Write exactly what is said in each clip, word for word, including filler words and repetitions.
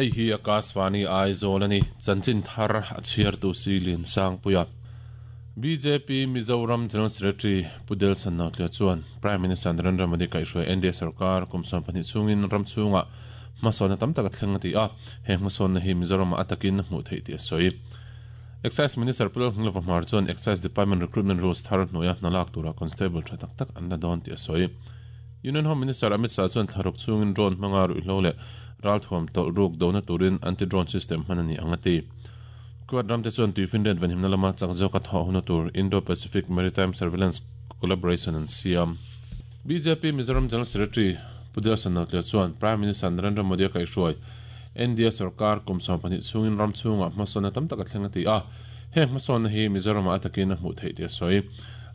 Hei hi Akashvani Aizawl ani chanchin thar a chhiar tu si lin sang puia B J P Mizoram General Secretary Pudel Sannautlia chuan Prime Minister Narendra Modi kaihhruai N D A sarkar kumsawm pahnih chungin ram chunga hmasawnna tam tak a thleng a ti a he hmasawnna hi Mizoram atakin hmuh theih tih a sawi. Excise Minister Pulal Hnglova Hmar chuan Excise Department Recruitment Rules thar hnuaia hnalak tura constable tha tak tak an la dawn tih a sawi. Union Home Minister Amit Shah chuan thlaruk chungin drone hmanga ruihhlo leh ralthuam tawlh ruk dona turin anti-drone system hman a ni ang a ti. Quad ramte chuan tuifinriat venhimna lama chak zawk a thawh huna tur Indo-Pacific Maritime Surveillance Collaboration an siam. B J P Mizoram General Secretary Pudel Sannautlia chuan Prime Minister Narendra Modi a kaihhruai N D A sarkar kumsawm pahnih chungin ram chunga hmasawnna tam tak a thleng a ti a heng hmasawnna hi Mizoram a atakin a hmuh theih tih a sawi.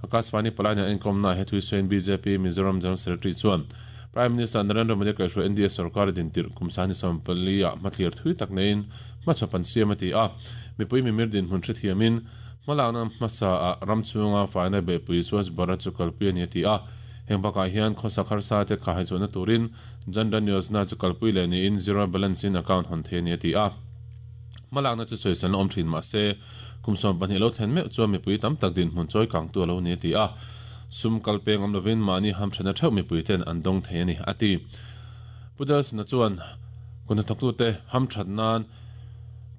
Akashvani Palania inkomna he thuisain B J P Mizoram General Secretary chuan Prime Minister Narendra Modi kaihhruai N D A sarkar din tir kumsani sawmpali a hmathlir thui tak nein hmachhapan siam a ti a mipui mimir din hmun hrethiamin hmalakna hmasa a ram chunga faina behpui chuan bara chu kalpui a ni a ti a heng bakah hian khawsak harsa te kha haichawhna turin Jan Dhan Yojana chu kalpui leh niin zero balance in account hawn thei a ni a ti a hmalakna chu sawisan awm thin mahse kumsawm pahnih lo thlen meuh chuan mipui tam tak din hmun chawi kang tu a lo ni a ti a sum kalpeng awm lovin mahni hamthana theuh mipui ten an dawng thei a ni a ti. Pudel na chuan kunhnathawktu te hamthat nan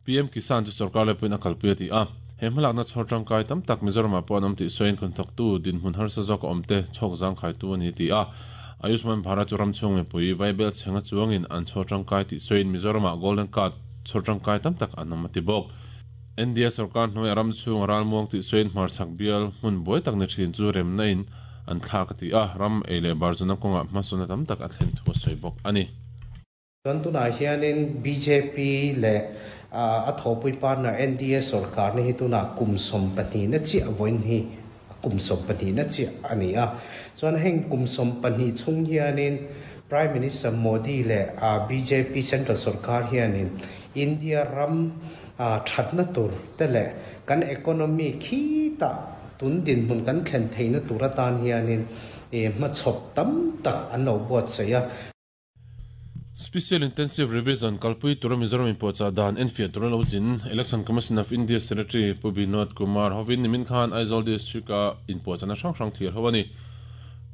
P M Kisan chu sarkar lepuin a kalpui a ti a he hmalakna chhawr tangkai tam tak Mizoram ah pawh an awm tih sawiin kunhnathawktu dinhmun harsa zawk a awm te chhawk zang khaitu a ni ti a Ayushman Bharat chu ram chhung mipui vaibel chhenga chuangin an chhawr tangkai tih sawiin Mizoram ah Golden Card chhawr tangkai tam tak an awm a ti bawk. N D A sarkar hnuai ram chhung ralmuang tih sawiin hmarchhak bial hmun buai tak ni thin chu remna in an thlak a ti a ram ei leh barzuna kawngah hmasawnna tam tak a thlen thu a sawi bawk a ni. Chuan tunah hianin B J P leh a thawpui partner N D A sarkar ni hi tunah kumsawm pahnih na chiah vawiin hi kumsawm pahnih na chiah a ni a chuan heng kumsawm pahnih chhung hianin Prime Minister Modi leh B J P Central sarkar hianin India ram thatna tur te leh kan economy khi ta tun din hmun kan thlen theihna tur atan hianin e hmachhawp tam tak an lo buat sei a. Special Intensive Revision kalpui tura Mizoram in pawhchah dan enfiah tura lo zin Election Commission of India Secretary Pu Binod Kumar hovin nimin khan Aizawl District a inpawhchahna hrang hrang thlir ho a ni.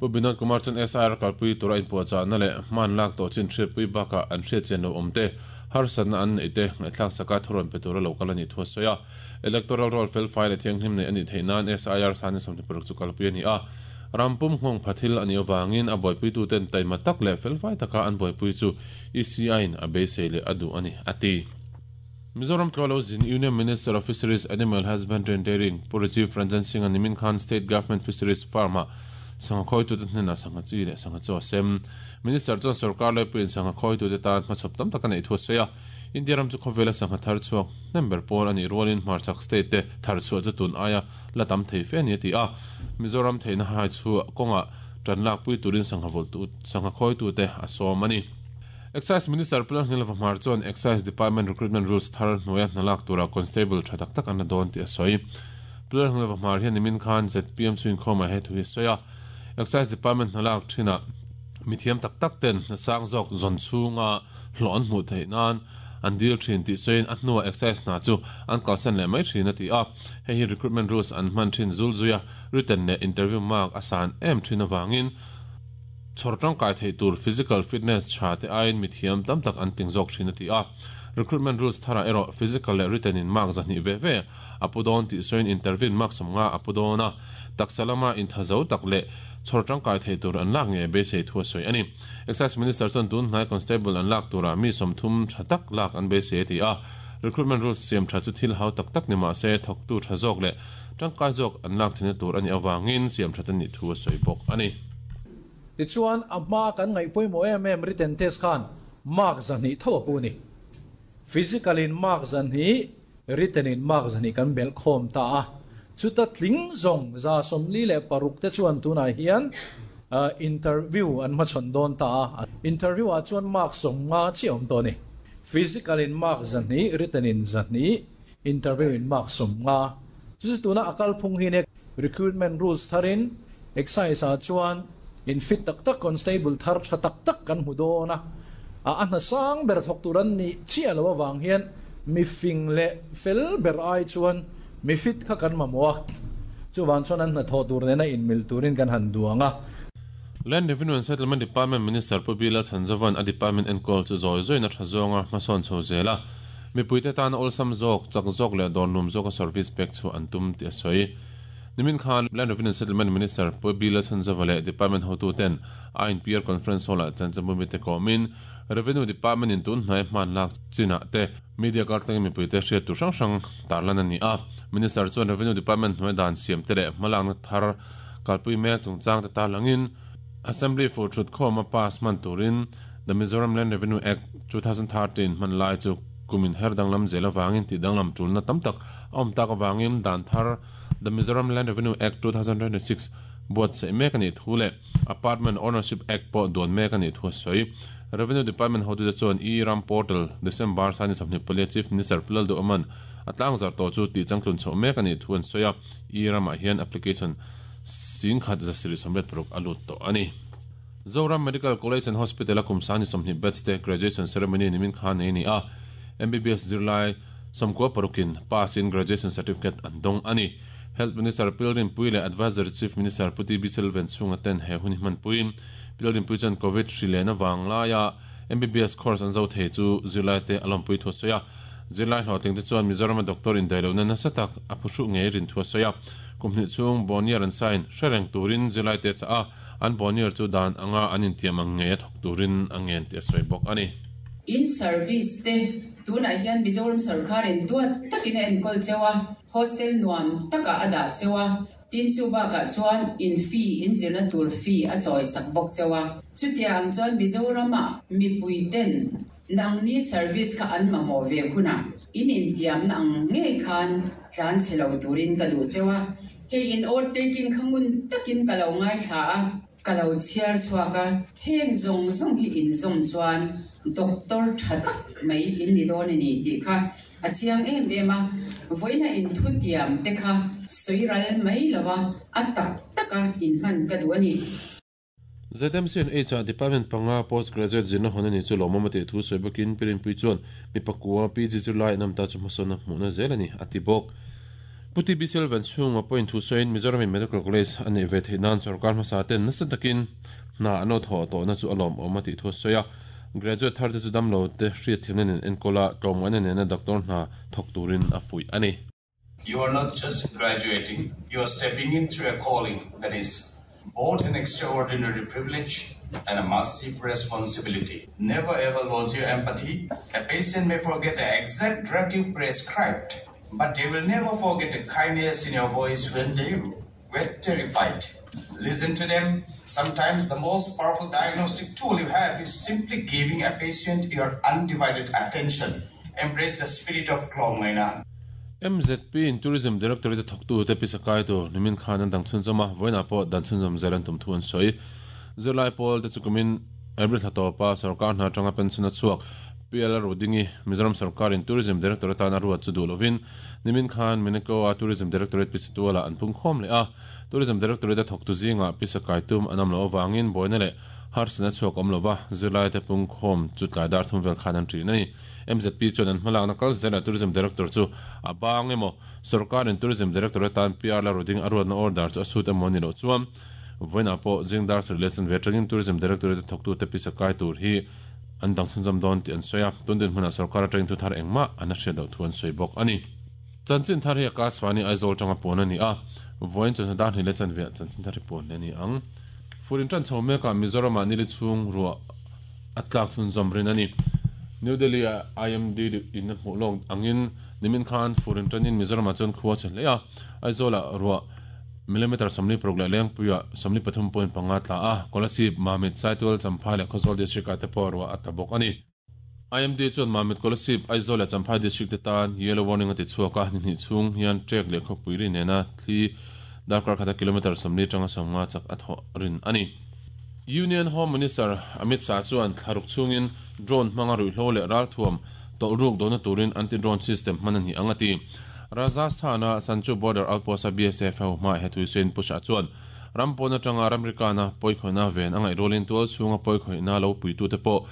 Pu Binod Kumar chuan S I R kalpui tura inpawhchahna leh hman lak tawh chin hriatpui bakah an hriatchian lo awm te harsatna an nei te ngaihthlak saka thurawn pe tura lo kal a ni thu a sawi a. Electoral roll fel fai leh thianghlim nei a nih theih nan S I R sani sawmhnih paruk chu kalpui a ni a. Rampum nghawng phathil a ni awangin a buaipui ten taima tak leh felfai taka an buaipui chu E C I in a beisei leh a duh a ni a ti. Mizoram Tlawlo zin Union Minister of Fisheries Animal Husbandry and Dairying Pu Rajiv Ranjan Singh a nimin khan State Government Fisheries Farm a sangha khawitu te hnena sangha chi leh sangha chaw sem. Minister chuan sarkar lepuiin sangha khawitu te tan hmachhawp tam tak a neih thu a sawi a. India ram chu khawvela sangha thar chhuak nember pawl a nih rualin hmarchhak state te thar chhuah chu tun aia la tam thei fe a ni a ti a. Mizoram theihna hai chu kawngah tan lak pui turin sangha voltu sangha khawitu te a sawm a ni. Excise Minister Pulal Hnglova Hmar chuan Excise Department Recruitment Rules thar hnuaia hnalak tura constable tha tak tak an la dawn tih a sawi. Pulal Hnglova Hmar hian nimin khan Z P M chu inkhawmah he thu hi a sawi a. Excise Department hnalak thinah mithiam tak tak ten hnasang zawk zawn chhunga hlawh an hmuh theih nan an dil thin tih sawiin a hnuah excise hna chu an kalsan leh mai thin a ti a. Hei hi recruitment rules an hman thin zul zuia written leh interview mark a san em thin awangin chhawr tangkai theih tur physical fitness tha te aiin mithiam tam tak an ting zawk thin a ti a. Recruitment rules thara erawh physical leh written in mark zahnih ve ve a pu dawn tih sawiin interview mark sawmnga a pu dawn a taksa lama inthazo tak leh chhawr tangkai theih tur an lak nge beisei thu a sawi a ni. Excise Minister chuan tun hnai constable an lak tura mi sawmthum tha tak lak an beisei a ti a. Recruitment rules siam tha chu thil hau tak tak ni mahse thawktu tha zawk leh tangkai zawk an lak thina tur a ni awangin siam tha ni thu a sawi bawk a ni. Ti chuan a hma kan ngaih pawimawh em em written test khan mark zahnih tho a pu ni. Physical in mark zahnih, written in mark zahnih kan bel khawm ta a. Chuta tling zawng za sawmli leh paruk te chuan tunah hian interview an hmachhawn dawn ta a. Interview ah chuan mark sawmnga chi awm tawh ni. Physical in mark zahnih, written in zahnih, interview in mark sawmnga. Chu tuna akal phung hi ne recruitment rules tharin excise ah chuan in fit tak tak constable thar tha tak tak kan hmu dawn a. A a hna sang ber thawk tur an nih chiah lo avang hian mi fing leh fel ber ai chuan mi fit kha kan mamawh a. Chuvan chuan an hna thawh tur nena inmil turin kan han duang a. Land Revenue and Settlement Department Minister Pu B Lalchhanzova'n a department enkawl chu zawi zawiin a tha zawnga hmasawn chho zel a, mipuite tana awlsam zawk, chak zawk leh dawrnum zawka service pek chhuah an tum tih a sawi. Nimin khan Land Revenue and Settlement Minister Pu B Lalchhanzova leh department hotuten I N P R Conference Hall-ah chanchinbu mite kawmin Revenue Department in tun hnai hman lak chinah te media kaltlangin mipuite hriat tur hrang hrang tarlan a ni a. Minister chuan Revenue Department hnuai dan siam te leh hmalakna thar kalpui mek chungchang te tarlangin Assembly for thut khawm a pass man turin The Mizoram Land Revenue Act twenty thirteen hman lai chu kumin her danglam zel awangin tih danglam tulna tam tak a awm tak awangin dan thar The Mizoram Land Revenue Act twenty twenty-six buat sei mek ani thu leh Apartment Ownership Act pawh duan mek ani thu a sawi. Revenue Department hotu te chuan e-Ram Portal December sani sawmhnih palia Chief Minister Pu Lalduhoma'n a tlangzar tawh chu tih changtlun chhoh mek ani thu an sawi a. E-Ram ah hian application singkhat zasarih sawmriat paruk a lut tawh ani. Zoram Medical College and Hospital a kum sani sawmhnih batch te graduation ceremony nimin khan nei ni a. M B B S zirlai sawmkua parukin pass in graduation certificate an dawng ani. Health Minister Pi Lalrinpuii leh Advisory Chief Minister Pu T B Silvan chhunga ten he hun hi hman puiin Pi Lalrinpuii chuan Covid hri lehna wang laia M B B S course an zo thei chu zirlai te a lawmpui thu a sawi a. Zirlai hlawhtling te chuan Mizoram a doctor indaihlohna nasa tak a phuhruh ngei rin thu a sawi a. Kum hnih chung bonier an sign hrereng turin zirlai te chah a, an bonier chu dan anga an intiam ang ngei a thawk turin a ngen tih a sawi bawk ani. In service te tunah hian Mizoram sarkarin duat takin a enkawl chewa, hostel nuam taka a dah chewa, tin chu bakah chuan in fee, in zirna tur fee a chawi sak bawk chewa. Chutiang chuan Mizorama mipui ten nangni service kha an mamawh ve huna in intiam na ang ngei khan tlan chhe lo turin ka duh chewa. Hei, in oath taking khangun takin ka lo ngai thla a, ka lo chhiar chhuak a. Heng zawng zawng hi in zawm chuan doctor tha tak mai in ni dawn ani tih kha a chiang em em a. Voina in thu tiam te kha soiral mai lawa a tak taka in hman ka duh ani. Z M C and H Department panga postgraduate zirna hon ani chu lawmawm a tih thu sawi bawkin Pi Rinpuii chuan mi pakua P G zirlai an awm ta chu hmasawn a hmuhna zel ani a ti bawk. Pu T B Silvan chhunga point thu sawiin Mizoram Medical College a nei ve theih nan sarkar hmasa ten nasa takin hna an lo thawh tawhna chu a lawmawm a tih thu a sawi a. Graduate thar te chu damlo te hriat thiamna nen enkawl a tlawmngaihna nena doctor hna thawk turin a fuih ani. You are not just graduating, you are stepping into a calling that is both an extraordinary privilege and a massive responsibility. Never ever lose your empathy. A patient may forget the exact drug you prescribed, but they will never forget the kindness in your voice when they were terrified. Listen to them. Sometimes the most powerful diagnostic tool you have is simply giving a patient your undivided attention. Embrace the spirit of tlawmngaihna. M Z P in Tourism Directorate thawktu te pisakai tur nimin khan an dang chhunzawm a, vawiinah pawh dan chhunzawm zel an tum thu an sawi. Zirlai pawl te chu kumin April thla tawpa sarkar hna atanga pension a chhuak P L Rodingi Mizoram sarkarin Tourism Director atan a ruat chu duh lovin nimin khan Mineko a Tourism Directorate pisatuala an pung khawm leh a. Tourism Directorate a thawktu zinga pisakai tum an awm loh awangin buaina leh harsatna chhuak awm lova zirlai te pung khawm chu tlai dar thum vel khan an ṭin a ni. M Z P chuan an hmalakna kal zela Tourism Director chu a bang emaw, sarkarin Tourism Director atan P R Roding a ruatna order chu a sut emaw ni loh chuan vawiinah pawh zingdar sarih leh chanve atangin Tourism Directorate thawktu te pisakai tur hi an dang chhunzawm dawn tih an sawi a. Tun din hmunah sarkar atangin thu thar engmah an a hriat loh thu an sawi bawk ani. Chanchin thar hi Akashvani Aizawl tanga pawn ani a. Vawiin chawhnu dar hnih leh chanve chanchin thar hi pawn ani ang. Furin tan chho meka Mizoramah nili chhung ruah a tlak chhunzawm rin ani. New Delhi a I M D in a hmuh lawk angin nimin khan furin tanin Mizoramah chuan khua che hle a. Aizawla ruah millimeter sawmli paruk leh Lengpuia sawmli pathum point panga tla a. Kolasib, Mamit, Saitual, Champhai leh Khawzawl district ah te pawh ruah a ta bawk ani. I M D chuan Mamit, Kolasib, Aizawl leh Champhai district te tan yellow warning a ti chhuak a. Ni hnih chhung hian trek leh khawpui ri nena thli darkar khata kilometer sawmli tanga sawmnga chak a thawh rin ani. Union Home Minister Amit Shah chuan thlaruk chungin drone hmanga ruihhlo leh ralthuam tawlh ruk dawhna turin anti-drone system hman ani ang a ti. Rajasthana Sanchu border outpost a B S F ho hma he thui sawiin Pu Shah chuan rampawn atanga ramrikana pawikhawihna ven a ngaih rualin tual chhunga pawikhawihna lo puitu te pawh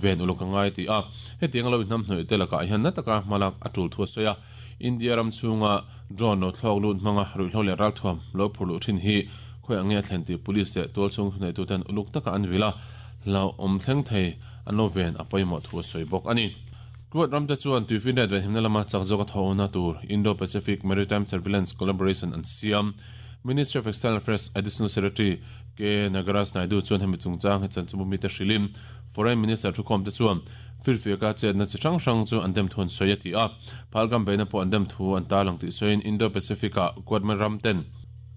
ven uluk angai ti a hetiang lo hnam hnoi te laka hian na taka malak atul thu soya India ram chunga drone no thlok lut manga ruihlo le ral thuam lo phurlu thin hi khoi ange thlen ti police te tol chung nei tu ten uluk taka an vila lo om thleng thei an lo ven apoimo thu soi bok ani Kuat ram te chuan tuifinriat ven himna lama chak zawk a thawhna tur Indo-Pacific Maritime Surveillance Collaboration an siam Ministry of External Affairs Additional Secretary K Nagaraj Naidu chuan hemi chungchang he chanchinbu mi te hrilim Foreign Minister thukhawm te chuan firfiaka chetna chi hrang hrang chu an dem thu an sawi a ti a phalgam beina pawh an dem thu an tarlang tih sawiin Indo-Pacific ah Kuat ram ten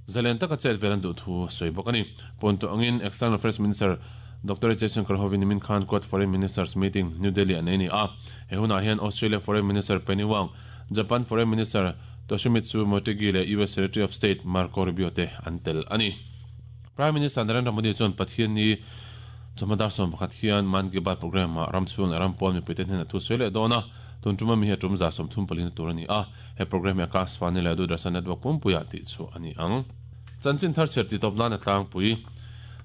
zalen taka chet vel an duh thu sawi bawk ani pawntu angin External Affairs Minister Doctor Jaishankar hovin min Khan Quad Foreign Ministers Meeting New Delhi an nei ni a he hunah hian Australia Foreign Minister Penny Wong Japan Foreign Minister Toshimitsu Motegi le U S Secretary of State Marco Rubio te an tel ani Prime Minister Narendra Modi chuan Pathian ni chamadar som pakhat hian Man Ki Baat program ma ramchhung leh rampawn mipui te hnen a thu sawi leh dawn a tun tuma mi hi a tum za sawm thum palina tur ani a he program hi Akashvani leh Doordarshan network pumpuiah tih chu ani ang chanchin thar chher ti tawp nan a tlangpui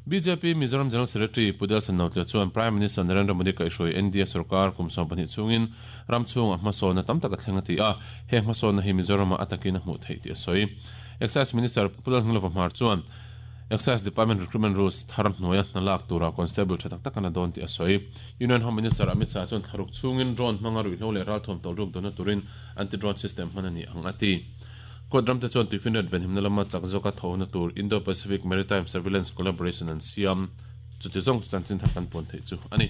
B J P Mizoram General Secretary Pu Delson Notlia chuan Prime Minister Narendra Modi kaihhruai N D A sarkar kum sawm pahnih chungin ramchhung a hmasawn tam tak a thleng a ti a he hmasawn hi Mizoram a atakin a hmuh theih tih a sawi Excise Minister Pu Lalhngilova Hmar chuan Excise Department Recruitment Rules thar hnuaia hna lak tura constable tha tak tak an a dawn tih a sawi Union Home Minister Amit Shah chuan thlaruk chungin drone hmanga ruihhlo leh ral thuam tawlh ruk dawna turin anti-drone system hman a ni ang a ti Quad ram te chuan tuifinriat ven himna lama chak zawka thawhna tur Indo-Pacific Maritime Surveillance Collaboration an siam chuti zawng chu chanchin thar kan pawn theih chu ani.